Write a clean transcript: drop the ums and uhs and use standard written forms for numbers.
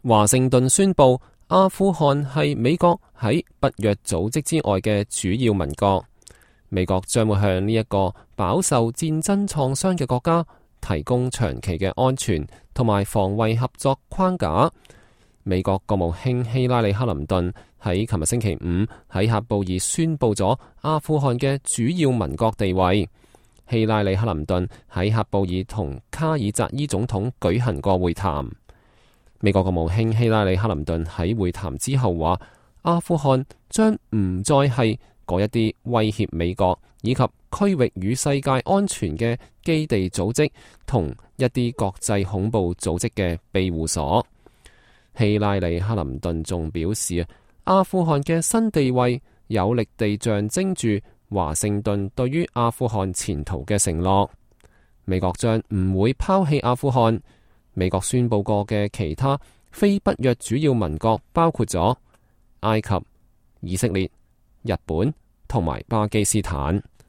華盛頓宣布阿富汗係美國喺北約組織之外嘅主要盟國，美國將會向呢一個飽受戰爭創傷嘅國家提供長期嘅安全同埋防衛合作框架。美國國務卿希拉里克林頓喺琴日星期五喺喀布爾宣布咗阿富汗嘅主要盟國地位。希拉里克林頓喺喀布爾同卡爾扎伊總統舉行過會談。美國國務卿希拉里克林頓喺會談之後話，阿富汗將唔再係嗰一啲威脅美國以及區域與世界安全嘅基地組織同一啲國際恐怖組織嘅庇護所。希拉里克林頓仲表示，阿富汗嘅新地位有力地象徵住華盛頓對於阿富汗前途嘅承諾。美國將唔會拋棄阿富汗。美國宣布過嘅其他非北約主要盟國包括咗埃及、以色列、日本同埋巴基斯坦。